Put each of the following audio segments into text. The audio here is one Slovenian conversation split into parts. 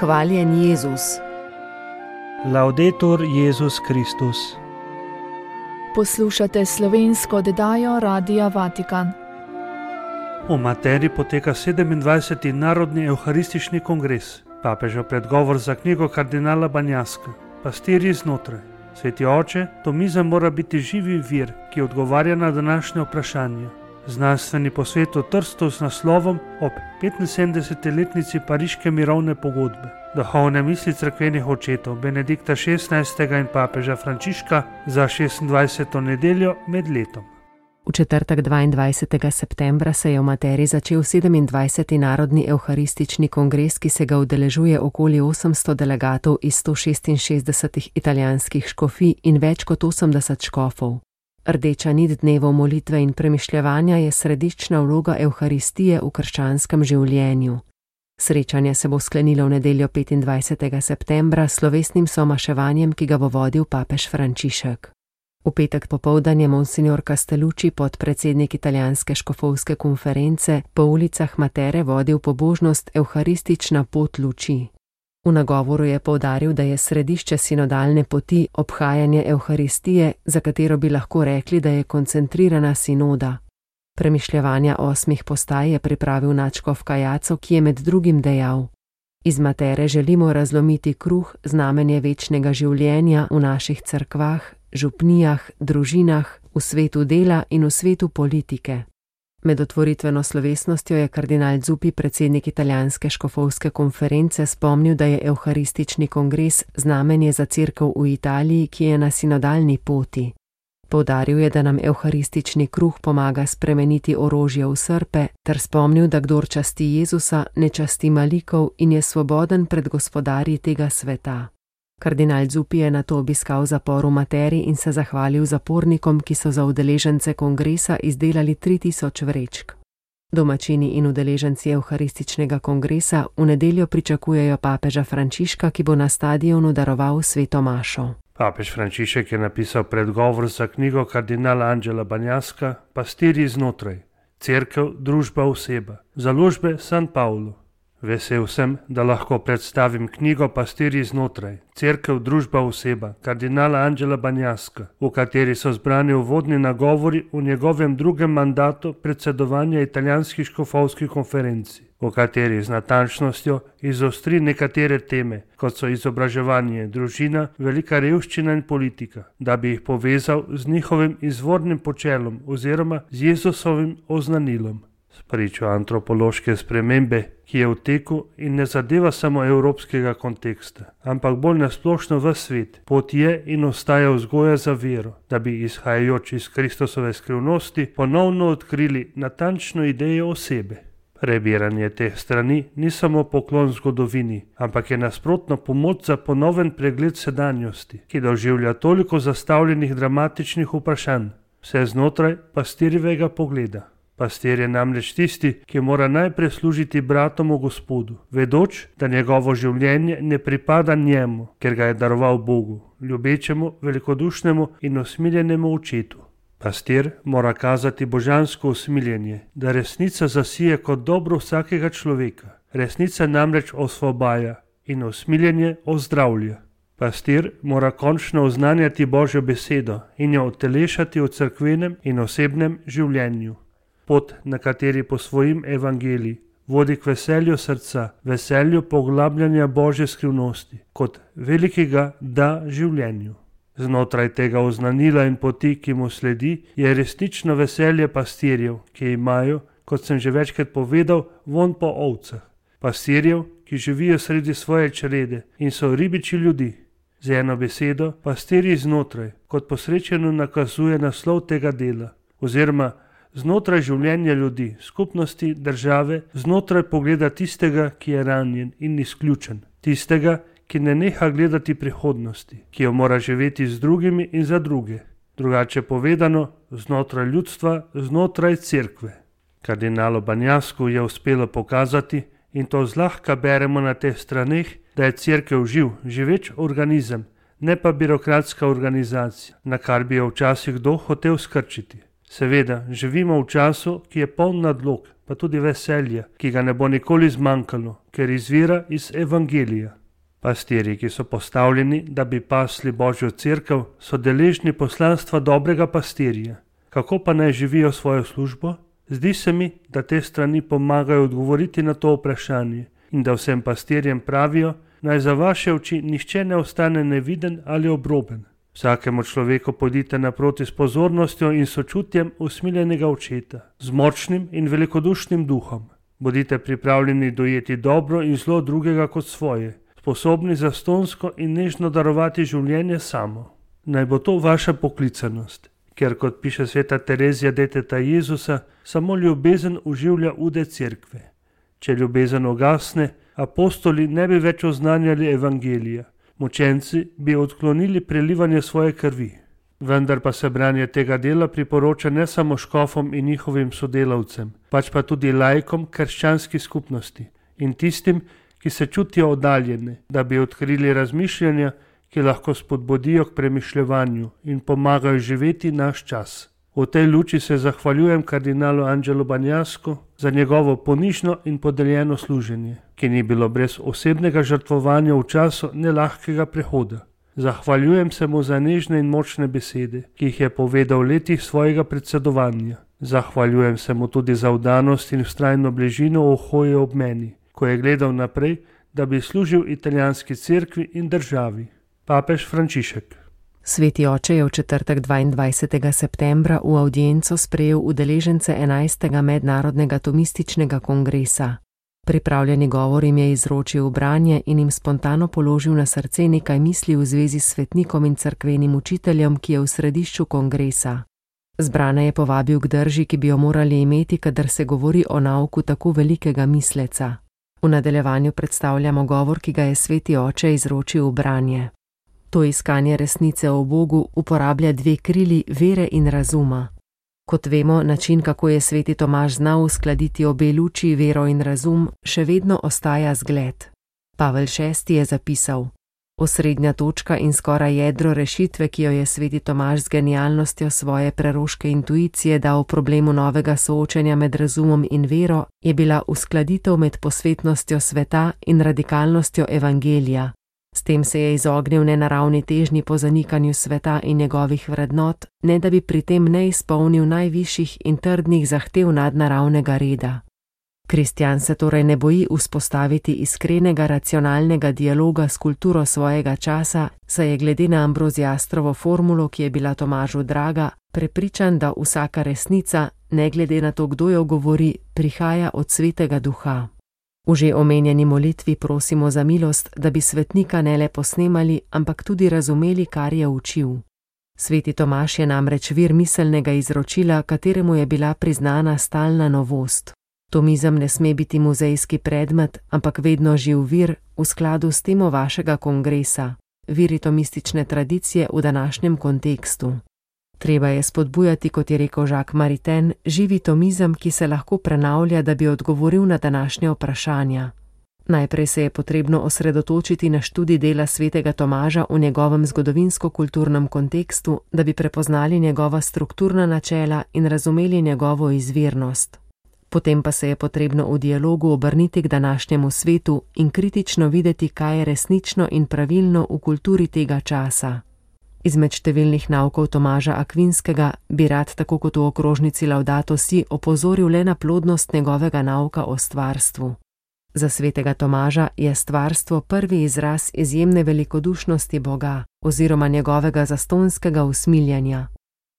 Hvaljen Jezus. Laudetur Jezus Kristus. Poslušate slovensko oddajo Radia Vatikan. V Materi poteka 27. Narodni evharistični kongres. Papežev predgovor za knjigo kardinala Banjaska. Pastirji znotraj. Sveti oče, to miza mora biti živi vir, ki odgovarja na današnje vprašanje. Znanstveni posvet v Trstu z naslovom ob 75-letnici Pariške mirovne pogodbe. Duhovne misli cerkvenih očetov Benedikta XVI. In papeža Frančiška za 26. nedeljo med letom. V četrtek 22. septembra se je v Materi začel 27. Narodni evharistični kongres, ki se ga udeležuje okoli 800 delegatov iz 166 italijanskih škofij in več kot 80 škofov. Rdeča nit dnevov molitve in premišljevanja je središčna vloga evharistije v krščanskem življenju. Srečanje se bo sklenilo v nedeljo 25. septembra s slovesnim somaševanjem, ki ga bo vodil papež Frančišek. V petek popoldan je monsignor Castellucci, podpredsednik italijanske škofovske konference, po ulicah Matere vodil pobožnost Evharistična pot luči. V nagovoru je poudaril, da je središče sinodalne poti obhajanje Evharistije, za katero bi lahko rekli, da je koncentrirana sinoda. Premišljevanja 8 postaj je pripravil nadškof Kajaco, ki je med drugim dejal: Iz Matere želimo razlomiti kruh, znamenje večnega življenja v naših cerkvah, župnijah, družinah, v svetu dela in v svetu politike. Med otvoritveno slovesnostjo je kardinal Zuppi, predsednik italijanske škofovske konference, spomnil, da je evharistični kongres znamenje za cerkev v Italiji, ki je na sinodalni poti. Poudaril je, da nam evharistični kruh pomaga spremeniti orožje v srpe, ter spomnil, da kdor časti Jezusa, ne časti malikov in je svoboden pred gospodarji tega sveta. Kardinal Zuppi je nato obiskal zapor v Materi in se zahvalil zapornikom, ki so za udeležence kongresa izdelali 3000 vrečk. Domačini in udeleženci evharističnega kongresa v nedeljo pričakujejo papeža Frančiška, ki bo na stadionu daroval sveto mašo. Papež Frančišek je napisal predgovor za knjigo kardinala Angela Banjaska Pastirji znotraj. Cerkev, družba, oseba. Založbe San Paolo. Vesel sem, da lahko predstavim knjigo Pastirji znotraj, cerkev, družba, oseba, kardinala Angela Banjaska, v kateri so zbrani uvodni nagovori v njegovem drugem mandatu predsedovanja italijanski škofovski konferenci, v kateri z natančnostjo izostri nekatere teme, kot so izobraževanje, družina, velika revščina in politika, da bi jih povezal z njihovim izvornim počelom oziroma z Jezusovim oznanilom. Spričo antropološke spremembe, ki je v teku in ne zadeva samo evropskega konteksta, ampak bolj nasplošno v svet, pot je in ostaja vzgoja za vero, da bi izhajajoč iz Kristusove skrivnosti ponovno odkrili natančno idejo osebe. Prebiranje teh strani ni samo poklon zgodovini, ampak je nasprotno pomoč za ponoven pregled sedanjosti, ki doživlja toliko zastavljenih dramatičnih vprašanj, vse znotraj pastirjevega pogleda. Pastir je namreč tisti, ki mora najprej služiti bratom v Gospodu, vedoč, da njegovo življenje ne pripada njemu, ker ga je daroval Bogu, ljubečemu, velikodušnemu in usmiljenemu očetu. Pastir mora kazati božansko usmiljenje, da resnica zasije kot dobro vsakega človeka. Resnica namreč osvobaja in usmiljenje ozdravlja. Pastir mora končno oznanjati Božjo besedo in jo utelešati v cerkvenem in osebnem življenju. Pot, na kateri po svojim evangeliji vodi k veselju srca, veselju poglabljanja Božje skrivnosti, kot velikega da življenju. Znotraj tega oznanila in poti, ki mu sledi, je resnično veselje pastirjev, ki imajo, kot sem že večkrat povedal, vonj po ovcah. Pastirjev, ki živijo sredi svoje črede in so ribiči ljudi. Z eno besedo, pastirji znotraj, kot posrečeno nakazuje naslov tega dela, oziroma znotraj življenja ljudi, skupnosti, države, znotraj pogleda tistega, ki je ranjen in izključen, tistega, ki ne neha gledati prihodnosti, ki jo mora živeti z drugimi in za druge. Drugače povedano, znotraj ljudstva, znotraj cerkve. Kardinalu Banjasku je uspelo pokazati, in to zlahka beremo na teh straneh, da je cerkev živeč organizem, ne pa birokratska organizacija, na kar bi jo včasih kdo hotel skrčiti. Seveda, živimo v času, ki je poln nadlog, pa tudi veselja, ki ga ne bo nikoli zmanjkalo, ker izvira iz evangelija. Pastirji, ki so postavljeni, da bi pasli Božjo cerkev, so deležni poslanstva dobrega pastirja. Kako pa naj živijo svojo službo? Zdi se mi, da te strani pomagajo odgovoriti na to vprašanje in da vsem pastirjem pravijo, naj za vaše oči nihče ne ostane neviden ali obroben. Vsakemu človeku pojdite naproti s pozornostjo in sočutjem usmiljenega očeta, z močnim in velikodušnim duhom. Bodite pripravljeni dojeti dobro in zlo drugega kot svoje, sposobni zastonsko in nežno darovati življenje samo. Naj bo to vaša poklicanost, ker kot piše sveta Terezija deteta Jezusa, samo ljubezen oživlja ude cerkve. Če ljubezen ugasne, apostoli ne bi več oznanjali evangelija. Mučenci bi odklonili prelivanje svoje krvi. Vendar pa se branje tega dela priporoča ne samo škofom in njihovim sodelavcem, pač pa tudi laikom krščanskih skupnosti in tistim, ki se čutijo oddaljene, da bi odkrili razmišljanja, ki lahko spodbudijo k premišljevanju in pomagajo živeti naš čas. V tej luči se zahvaljujem kardinalu Angelu Banjasku za njegovo ponižno in podeljeno služenje, ki ni bilo brez osebnega žrtvovanja v času nelahkega prehoda. Zahvaljujem se mu za nežne in močne besede, ki jih je povedal v letih svojega predsedovanja. Zahvaljujem se mu tudi za vdanost in vztrajno bližino ohoje ob meni, ko je gledal naprej, da bi služil italijanski cerkvi in državi. Papež Frančišek. Sveti oče je v četrtek 22. septembra v avdienco sprejel udeležence 11. mednarodnega tomističnega kongresa. Pripravljeni govor jim je izročil branje in jim spontano položil na srce nekaj misli v zvezi s svetnikom in cerkvenim učiteljem, ki je v središču kongresa. Zbrane je povabil k drži, ki bi jo morali imeti, kadar se govori o nauku tako velikega misleca. V nadaljevanju predstavljamo govor, ki ga je sveti oče izročil v branje. To iskanje resnice o Bogu uporablja dve krili vere in razuma. Kot vemo, način, kako je sveti Tomaž znal uskladiti obe luči, vero in razum, še vedno ostaja zgled. Pavel VI je zapisal: osrednja točka in skoraj jedro rešitve, ki jo je sveti Tomaž z genialnostjo svoje preroške intuicije dal problemu novega soočenja med razumom in vero, je bila uskladitev med posvetnostjo sveta in radikalnostjo evangelija. S tem se je izognil nenaravni težnji po zanikanju sveta in njegovih vrednot, ne da bi pri tem ne izpolnil najvišjih in trdnih zahtev nadnaravnega reda. Kristjan se torej ne boji vzpostaviti iskrenega racionalnega dialoga s kulturo svojega časa, saj je glede na Ambroziastrovo formulo, ki je bila Tomažu draga, prepričan, da vsaka resnica, ne glede na to, kdo jo govori, prihaja od Svetega Duha. V že omenjeni molitvi prosimo za milost, da bi svetnika ne le posnemali, ampak tudi razumeli, kar je učil. Sveti Tomaž je namreč vir miselnega izročila, kateremu je bila priznana stalna novost. Tomizem ne sme biti muzejski predmet, ampak vedno živ vir v skladu s temo vašega kongresa, viri tomistične tradicije v današnjem kontekstu. Treba je spodbujati, kot je rekel Jacques Maritain, živi tomizem, ki se lahko prenavlja, da bi odgovoril na današnje vprašanja. Najprej se je potrebno osredotočiti na študij dela svetega Tomaža v njegovem zgodovinsko-kulturnem kontekstu, da bi prepoznali njegova strukturna načela in razumeli njegovo izvirnost. Potem pa se je potrebno v dialogu obrniti k današnjemu svetu in kritično videti, kaj je resnično in pravilno v kulturi tega časa. Izmed številnih naukov Tomaža Akvinskega bi rad, tako kot v okrožnici Laudato Si, opozoril le na plodnost njegovega nauka o stvarstvu. Za svetega Tomaža je stvarstvo prvi izraz izjemne velikodušnosti Boga oziroma njegovega zastonskega usmiljanja.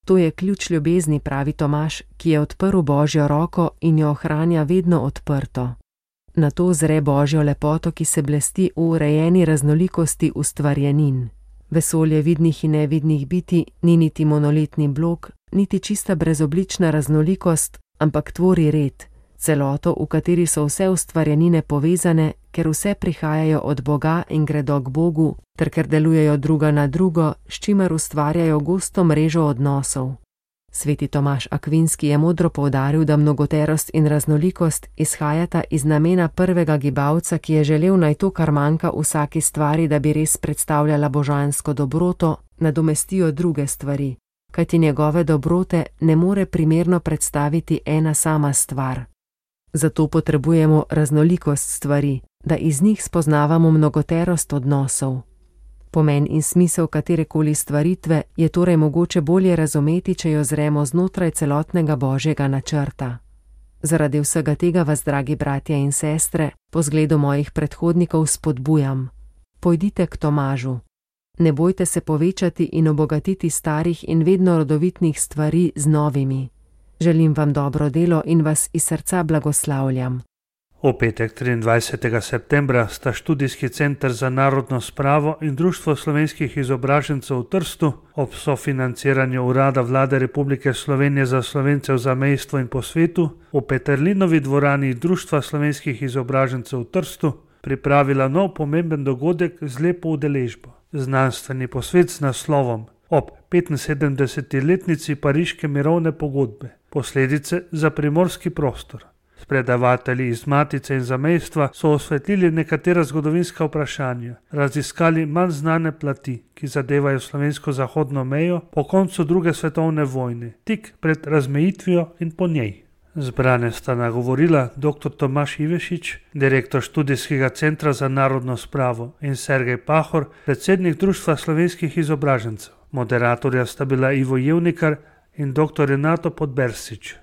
To je ključ ljubezni, pravi Tomaž, ki je odprl Božjo roko in jo ohranja vedno odprto. Na to zre Božjo lepoto, ki se blesti v urejeni raznolikosti ustvarjenin. Vesolje vidnih in nevidnih biti ni niti monolitni blok, niti čista brezoblična raznolikost, ampak tvori red, celoto, v kateri so vse ustvarjenine povezane, ker vse prihajajo od Boga in gredo k Bogu, ter ker delujejo druga na drugo, s čimer ustvarjajo gosto mrežo odnosov. Sveti Tomaž Akvinski je modro poudaril, da mnogoterost in raznolikost izhajata iz namena prvega gibalca, ki je želel naj to, kar manjka vsaki stvari, da bi res predstavljala božansko dobroto, nadomestijo druge stvari. kajti njegove dobrote ne more primerno predstaviti ena sama stvar. Zato potrebujemo raznolikost stvari, da iz njih spoznavamo mnogoterost odnosov. Pomen in smisel katerekoli stvaritve je torej mogoče bolje razumeti, če jo zremo znotraj celotnega Božjega načrta. Zaradi vsega tega vas, dragi bratje in sestre, po zgledu mojih predhodnikov spodbujam. Pojdite k Tomažu. Ne bojte se povečati in obogatiti starih in vedno rodovitnih stvari z novimi. Želim vam dobro delo in vas iz srca blagoslavljam. V petek 23. septembra sta Študijski center za narodno spravo in Društvo slovenskih izobražencev v Trstu ob sofinanciranju Urada Vlade Republike Slovenije za Slovence v zamejstvu in po svetu v Peterlinovi dvorani Društva slovenskih izobražencev v Trstu pripravila nov pomemben dogodek z lepo udeležbo. Znanstveni posvet z naslovom ob 75-letnici Pariške mirovne pogodbe, posledice za primorski prostor. Predavatelji iz Matice in zamejstva so osvetlili nekatera zgodovinska vprašanja, raziskali manj znane plati, ki zadevajo slovensko zahodno mejo po koncu druge svetovne vojne, tik pred razmejitvijo in po njej. Zbrane sta nagovorila dr. Tomaž Ivešič, direktor Študijskega centra za narodno spravo, in Sergej Pahor, predsednik Društva slovenskih izobražencev. Moderatorja sta bila Ivo Jevnikar in dr. Renato Podbersič.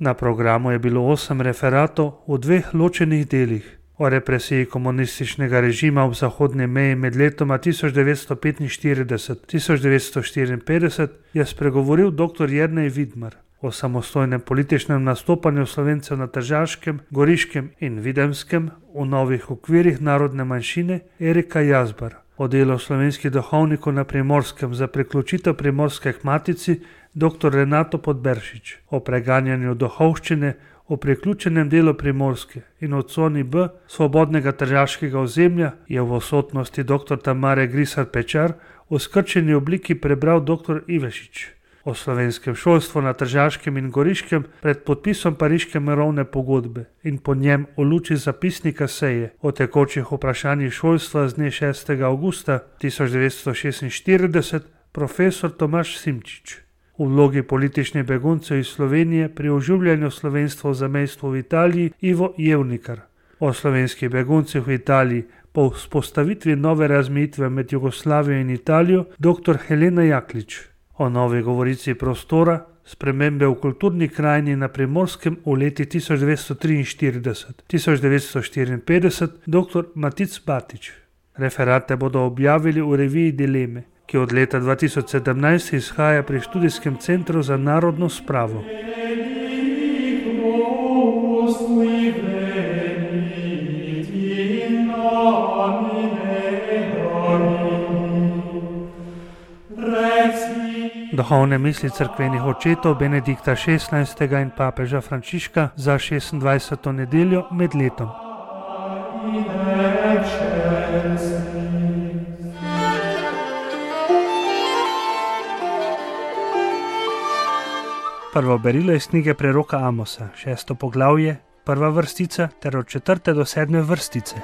Na programu je bilo 8 referatov v 2 ločenih delih. O represiji komunističnega režima ob zahodni meji med letoma 1945-1954 je spregovoril dr. Jernej Vidmar. O samostojnem političnem nastopanju Slovencev na Tržaškem, Goriškem in Videmskem v novih okvirih narodne manjšine Erika Jazbar. O delu slovenskih duhovnikov na Primorskem za priključitev Primorske k Matici dr. Renato Podberšič. O preganjanju duhovščine v priključenem delu Primorske in o coni B svobodnega tržaškega ozemlja je v odsotnosti dr. Tamare Grisar Pečar v skrčeni obliki prebral dr. Ivešič. O slovenskem šolstvu na Tržaškem in Goriškem pred podpisom Pariške mirovne pogodbe in po njem v luči zapisnika seje o tekočih vprašanjih šolstva z dne 6. avgusta 1946 profesor Tomaž Simčič. V vlogi političnih beguncev iz Slovenije pri oživljanju slovenstva v zamejstvu v Italiji Ivo Jevnikar. O slovenskih beguncih v Italiji po vzpostavitvi nove razmejitve med Jugoslavijo in Italijo dr. Helena Jaklič. O novi govorici prostora, spremembe v kulturni krajini na Primorskem v leti 1943-1954 dr. Matic Batič. Referate bodo objavili v reviji Dileme, ki od leta 2017 izhaja pri Študijskem centru za narodno spravo. Duhovne misli cerkvenih očetov Benedikta XVI. In papeža Frančiška za 26. nedeljo med letom. Prvo berilo iz knjige preroka Amosa, 6. poglavje, 1. vrstica ter od 4. do 7. vrstice.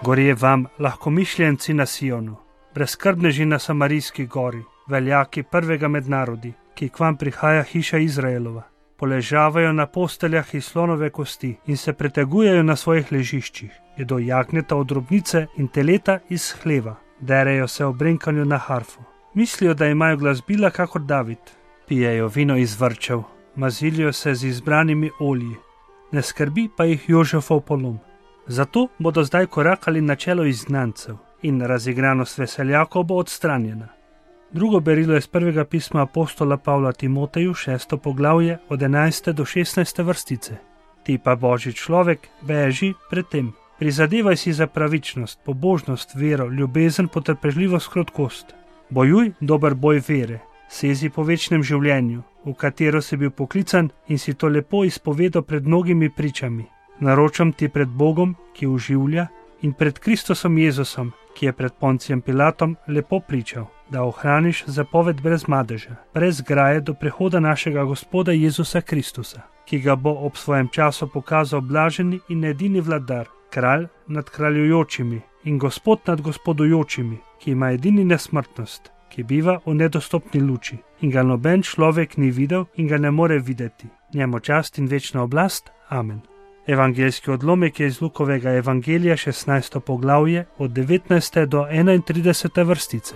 Gorje vam, lahkomišljenci na Sionu, brezskrbneži na Samarijski gori, veljaki prvega med narodi, ki k vam prihaja hiša Izraelova, poležavajo na posteljah iz slonove kosti in se pretegujejo na svojih ležiščih, jedo jagnjeta od drobnice in teleta iz hleva, derejo se ob brenkanju na harfo. Mislijo, da imajo glasbila kakor David, pijejo vino iz vrčev, mazilijo se z izbranimi olji, ne skrbi pa jih Jožefov polom. Zato bodo zdaj korakali na čelo izgnancev in razigranost veseljakov bo odstranjena. Drugo berilo je z prvega pisma apostola Pavla Timoteju, 6. poglavje, od 11. do 16. vrstice. Ti pa, Božji človek, beži pred tem. Prizadevaj si za pravičnost, pobožnost, vero, ljubezen, potrpežljivost, krotkost. Bojuj dober boj vere, sezi po večnem življenju, v katero si bil poklican in si to lepo izpovedal pred mnogimi pričami. Naročam ti pred Bogom, ki oživlja, in pred Kristusom Jezusom, ki je pred Poncijem Pilatom lepo pričal, da ohraniš zapoved brez madeža, brez graje do prihoda našega Gospoda Jezusa Kristusa, ki ga bo ob svojem času pokazal blaženi in edini vladar, kralj nad kraljujočimi in gospod nad gospodujočimi, ki ima edini nesmrtnost, ki biva v nedostopni luči in ga noben človek ni videl in ga ne more videti. Njemu čast in večna oblast. Amen. Evangeljski odlomek je iz Lukovega evangelija 16. poglavje od 19. do 31. vrstice.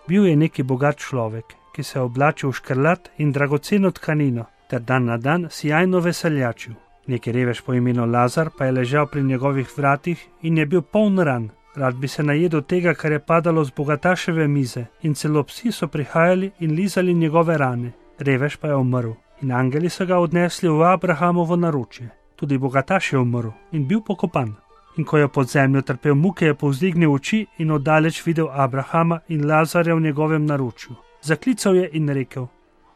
Bil je neki bogat človek, ki se je oblačil v škrlat in dragoceno tkanino, ter dan na dan sijajno veseljačil. Neki revež po imenu Lazar pa je ležal pri njegovih vratih in je bil poln ran. Rad bi se najedel tega, kar je padalo z bogataševe mize, in celo psi so prihajali in lizali njegove rane. Revež pa je umrl in angeli so ga odnesli v Abrahamovo naročje. Tudi bogataš je umrl in bil pokopan. In ko je pod zemljo trpel muke, je povzdignil oči in oddaleč videl Abrahama in Lazarja v njegovem naročju. Zaklical je in rekel: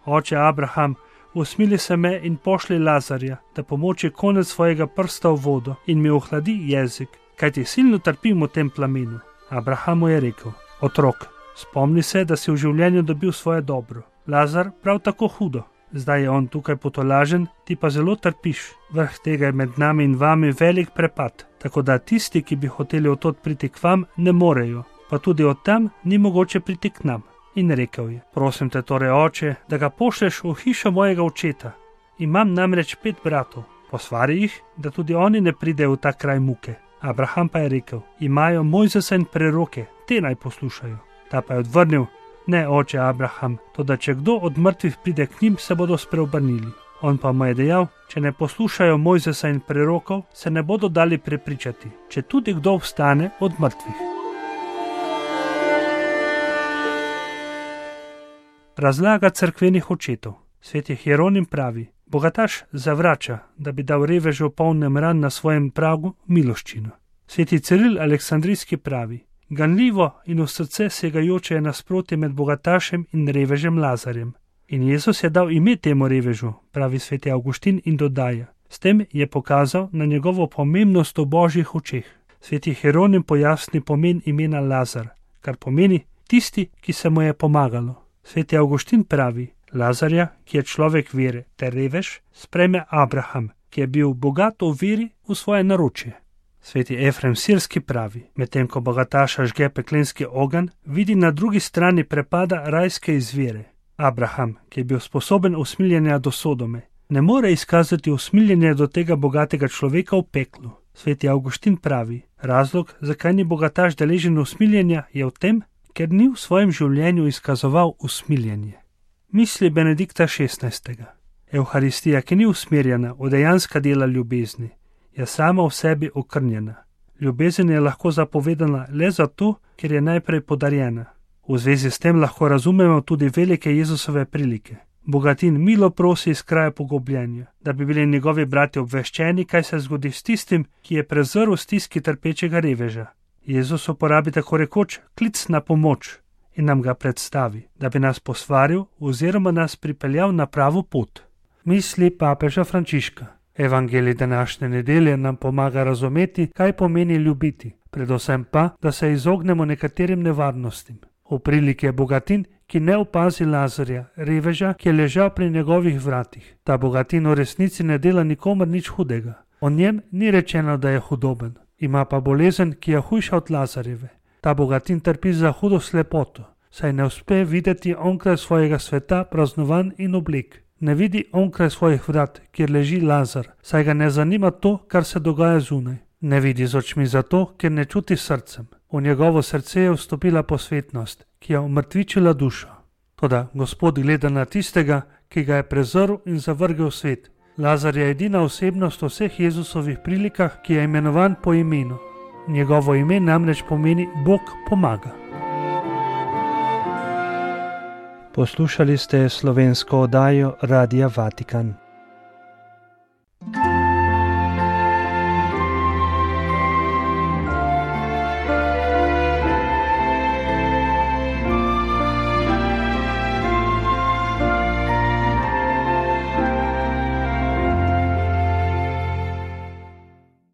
Oče Abraham, usmili se me in pošli Lazarja, da pomoči konec svojega prsta v vodo in mi ohladi jezik, kajti silno trpim v tem plamenu. Abraham mu je rekel: Otrok, spomni se, da si v življenju dobil svoje dobro. Lazar prav tako hudo. Zdaj je on tukaj potolažen, ti pa zelo trpiš. Vrh tega je med nami in vami velik prepad, tako da tisti, ki bi hoteli od tod priti k vam, ne morejo, pa tudi od tam ni mogoče priti k nam. In rekel je: Prosim te torej, oče, da ga pošleš v hišo mojega očeta. Imam namreč 5 bratov. Posvari jih, da tudi oni ne pridejo v ta kraj muke. Abraham pa je rekel: Imajo Mojzesa in preroke, te naj poslušajo. Ta pa je odvrnil: Ne, oče Abraham, toda če kdo od mrtvih pride k njim, se bodo spreobrnili. On pa mu je dejal: Če ne poslušajo Mojzesa in prerokov, se ne bodo dali prepričati, če tudi kdo vstane od mrtvih. Razlaga cerkvenih očetov. Sveti Hieronim pravi: Bogataš zavrača, da bi dal revežu polnem ran na svojem pragu miloščino. Sveti Ciril Aleksandrijski pravi: Ganljivo in v srce segajoče je nasprotje med bogatašem in revežem Lazarjem. In Jezus je dal ime temu revežu, pravi sveti Avguštin in dodaja: S tem je pokazal na njegovo pomembnost v božjih očeh. Sveti Hieronim pojasni pomen imena Lazar, kar pomeni tisti, ki se mu je pomagalo. Sveti Avguštin pravi: Lazarja, ki je človek vere, ter revež, sprejme Abraham, ki je bil bogat v veri v svoje naročje. Sveti Efrem Sirski pravi: Medtem ko bogataša žge peklenski ogenj, vidi na drugi strani prepada rajske izvire. Abraham, ki je bil sposoben usmiljenja do Sodome, ne more izkazati usmiljenja do tega bogatega človeka v peklu. Sveti Avguštin pravi: Razlog, zakaj ni bogataš deležen usmiljenja, je v tem, ker ni v svojem življenju izkazoval usmiljenje. Misli Benedikta XVI. Evharistija, ki ni usmerjena v dejanska dela ljubezni, je sama v sebi okrnjena. Ljubezen je lahko zapovedana le zato, ker je najprej podarjena. V zvezi s tem lahko razumemo tudi velike Jezusove prilike. Bogatin milo prosi iz kraja pogubljenja, da bi bili njegovi brati obveščeni, kaj se zgodi s tistim, ki je prezrl stiski trpečega reveža. Jezus uporabi tako rekoč klic na pomoč in nam ga predstavi, da bi nas posvaril oziroma nas pripeljal na pravo pot. Misli papeža Frančiška. Evangelij današnje nedelje nam pomaga razumeti, kaj pomeni ljubiti, predvsem pa, da se izognemo nekaterim nevarnostim. V priliki je bogatin, ki ne opazi Lazarja, reveža, ki je ležal pri njegovih vratih. Ta bogatin v resnici ne dela nikomur nič hudega. O njem ni rečeno, da je hudoben. Ima pa bolezen, ki je hujša od Lazarjeve. Ta bogatin trpi za hudo slepoto, saj ne uspe videti onkraj svojega sveta praznovan in oblek. Ne vidi onkraj svojih vrat, kjer leži Lazar, saj ga ne zanima to, kar se dogaja zunaj. Ne vidi z očmi zato, ker ne čuti srcem. V njegovo srce je vstopila posvetnost, ki je umrtvičila dušo. Toda Gospod gleda na tistega, ki ga je prezrl in zavrgel svet. Lazar je edina osebnost v vseh Jezusovih prilikah, ki je imenovan po imenu. Njegovo ime namreč pomeni Bog pomaga. Poslušali ste slovensko oddajo Radia Vatikan.